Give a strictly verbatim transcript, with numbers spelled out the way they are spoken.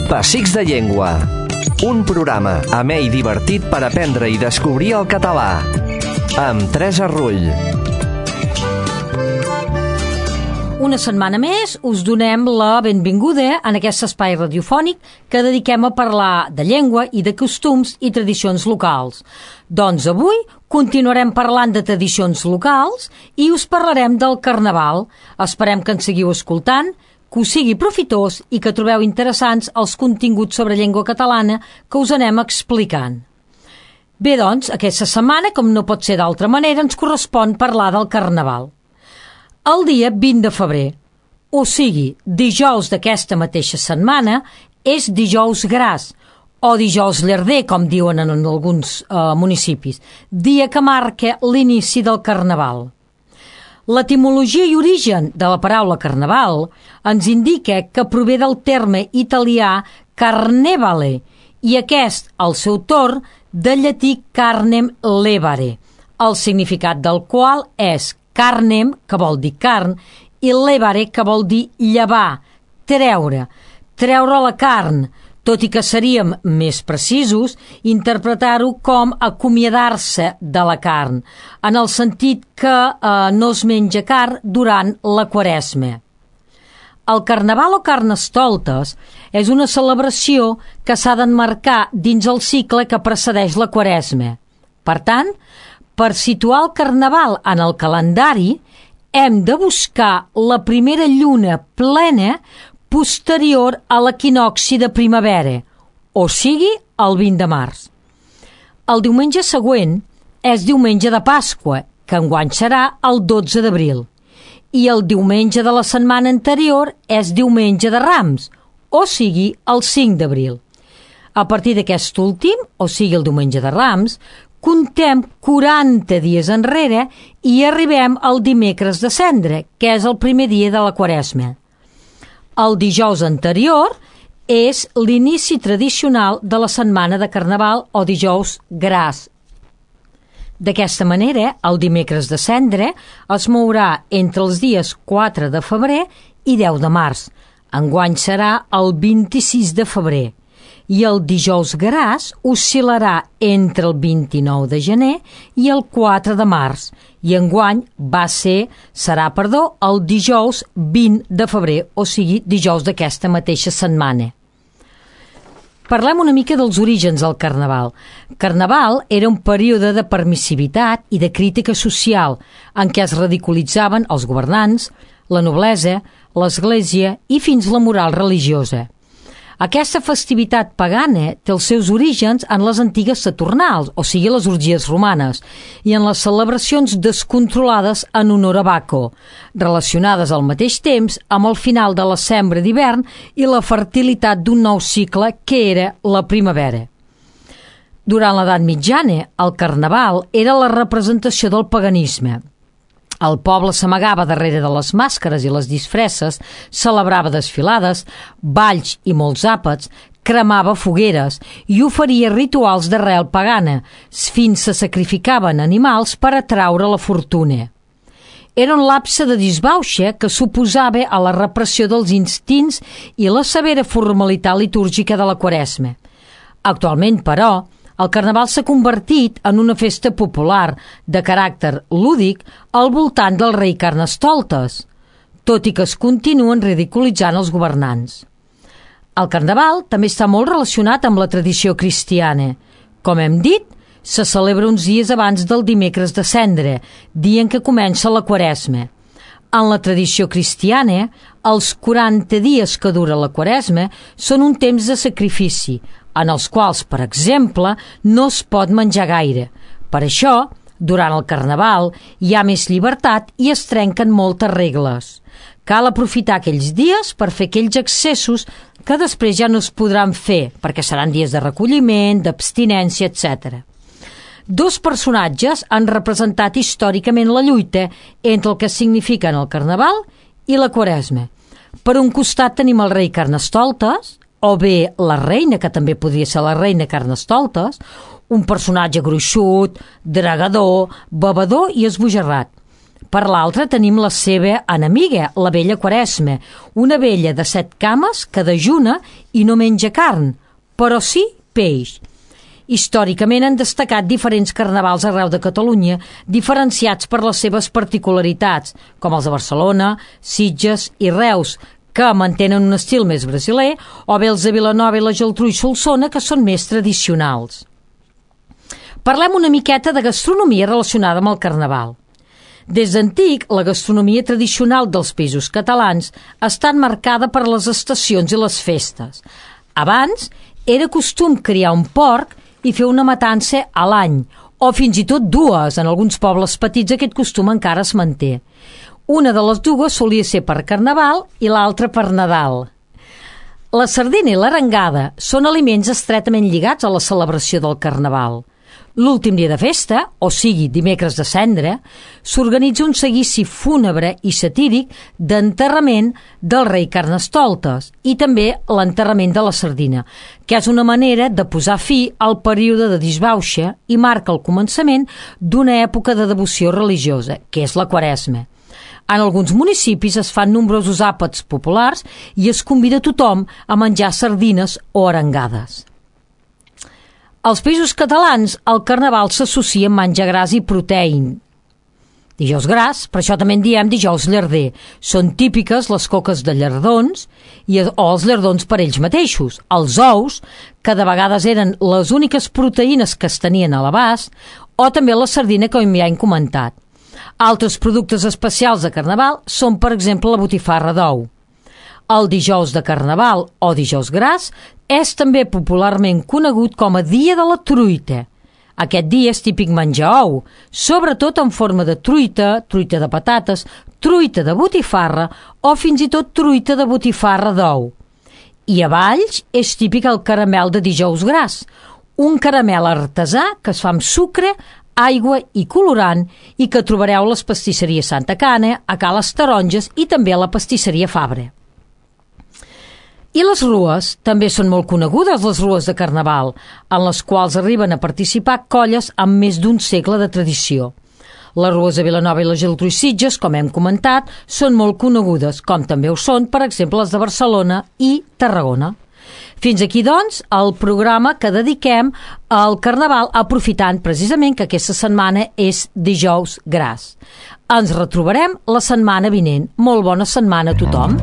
Pessics de Llengua. Un programa amè i divertit per aprendre i descobrir el català. Amb Teresa Rull. Una setmana més us donem la benvinguda en aquest espai radiofònic que dediquem a parlar de llengua i de costums i tradicions locals. Doncs avui continuarem parlant de tradicions locals i us parlarem del Carnaval. Esperem que ens seguiu escoltant, que us sigui profitós i que trobeu interessants els continguts sobre llengua catalana que us anem explicant. Bé, doncs, aquesta setmana, com no pot ser d'altra manera, ens correspon parlar del Carnaval. El dia vint de febrer, o sigui, dijous d'aquesta mateixa setmana, és dijous gras, o dijous llarder, com diuen en alguns eh, municipis, dia que marca l'inici del Carnaval. L'etimologia i origen de la paraula Carnaval ens indica que prové del terme italià carnevale i aquest, al seu torn, del llatí carnem levare, el significat del qual és carnem, que vol dir carn, i levare, que vol dir llevar, treure, treure la carn, tot i que seríem més precisos, interpretar-ho com acomiadar-se de la carn, en el sentit que eh, no es menja carn durant la Quaresma. El Carnaval o Carnestoltes és una celebració que s'ha d'emmarcar dins el cicle que precedeix la Quaresma. Per tant, per situar el Carnaval en el calendari, hem de buscar la primera lluna plena posterior a l'equinocci de primavera, o sigui, el vint de març. El diumenge següent és diumenge de Pasqua, que enguany serà el dotze d'abril, i el diumenge de la setmana anterior és diumenge de Rams, o sigui, el cinc d'abril. A partir d'aquest últim, o sigui, el diumenge de Rams, contem quaranta dies enrere i arribem al dimecres de Cendra, que és el primer dia de la Quaresma. El dijous anterior és l'inici tradicional de la setmana de Carnaval o dijous gras. D'aquesta manera, el dimecres de Cendra es mourà entre els dies quatre de febrer i deu de març. Enguany serà el vint-i-sis de febrer. I el dijous gras oscil·larà entre el vint-i-nou de gener i el quatre de març, i enguany va ser, serà, perdó, el dijous vint de febrer, o sigui, dijous d'aquesta mateixa setmana. Parlem una mica dels orígens del Carnaval. Carnaval era un període de permissivitat i de crítica social en què es ridiculitzaven els governants, la noblesa, l'església i fins la moral religiosa. Aquesta festivitat pagana té els seus orígens en les antigues Saturnals, o sigui, les orgies romanes, i en les celebracions descontrolades en honor a Baco, relacionades al mateix temps amb el final de la sembra d'hivern i la fertilitat d'un nou cicle que era la primavera. Durant l'edat mitjana, el Carnaval era la representació del paganisme. El poble s'amagava darrere de les màscares i les disfresses, celebrava desfilades, balls i molts àpats, cremava fogueres i oferia rituals d'arrel pagana, fins se sacrificaven animals per atraure la fortuna. Era un lapse de disbauxa que suposava a la repressió dels instints i la severa formalitat litúrgica de la Quaresma. Actualment, però, el Carnaval s'ha convertit en una festa popular de caràcter lúdic al voltant del rei Carnestoltes, tot i que es continuen ridiculitzant els governants. El Carnaval també està molt relacionat amb la tradició cristiana. Com hem dit, se celebra uns dies abans del dimecres de Cendra, dia en què comença la Quaresma. En la tradició cristiana, els quaranta dies que dura la Quaresma són un temps de sacrifici, en els quals, per exemple, no es pot menjar gaire. Per això, durant el Carnaval, hi ha més llibertat i es trenquen moltes regles. Cal aprofitar aquells dies per fer aquells excessos que després ja no es podran fer, perquè seran dies de recolliment, d'abstinència, etcètera. Dos personatges han representat històricament la lluita entre el que signifiquen el Carnaval i la Quaresma. Per un costat tenim el rei Carnestoltes, o bé la reina, que també podria ser la reina Carnestoltes, un personatge gruixut, dragador, bevedor i esbojarrat. Per l'altra tenim la seva enemiga, la vella Quaresma, una vella de set cames que dejuna i no menja carn, però sí peix. Històricament han destacat diferents carnavals arreu de Catalunya, diferenciats per les seves particularitats, com els de Barcelona, Sitges i Reus, que mantenen un estil més brasiler, o bé els de Vilanova i la Geltrú i Solsona, que són més tradicionals. Parlem una miqueta de gastronomia relacionada amb el carnaval. Des d'antic, la gastronomia tradicional dels països catalans està marcada per les estacions i les festes. Abans, era costum criar un porc i fer una matança a l'any, o fins i tot dues. En alguns pobles petits aquest costum encara es manté. Una de les dues solia ser per Carnaval i l'altra per Nadal. La sardina i l'arengada són aliments estretament lligats a la celebració del Carnaval. L'últim dia de festa, o sigui, dimecres de cendra, s'organitza un seguici fúnebre i satíric d'enterrament del rei Carnestoltes i també l'enterrament de la sardina, que és una manera de posar fi al període de disbauxa i marca el començament d'una època de devoció religiosa, que és la Quaresma. En alguns municipis es fan nombrosos àpats populars i es convida tothom a menjar sardines o arengades. Als països catalans, el carnaval s'associa amb menjar gras i proteïn. Dijous gras, per això també en diem dijous llarder. Són típiques les coques de llardons i, o els llardons per ells mateixos. Els ous, que de vegades eren les úniques proteïnes que es tenien a l'abast, o també la sardina, com ja hem comentat. Altres productes especials de carnaval són, per exemple, la botifarra d'ou. El dijous de carnaval o dijous gras és també popularment conegut com a dia de la truita. Aquest dia és típic menjar ou, sobretot en forma de truita, truita de patates, truita de botifarra o fins i tot truita de botifarra d'ou. I a Valls és típic el caramel de dijous gras, un caramel artesà que es fa amb sucre, aigua i colorant i que trobareu a les pastisseries Santa Cana, a Ca les Taronges i també a la pastisseria Fabra. I les rues també són molt conegudes, les rues de carnaval, en les quals arriben a participar colles amb més d'un segle de tradició. Les rues de Vilanova i la Geltrú i Sitges, com hem comentat, són molt conegudes, com també ho són, per exemple, les de Barcelona i Tarragona. Fins aquí, doncs, el programa que dediquem al Carnaval, aprofitant precisament que aquesta setmana és dijous gras. Ens retrobarem la setmana vinent. Molt bona setmana a tothom.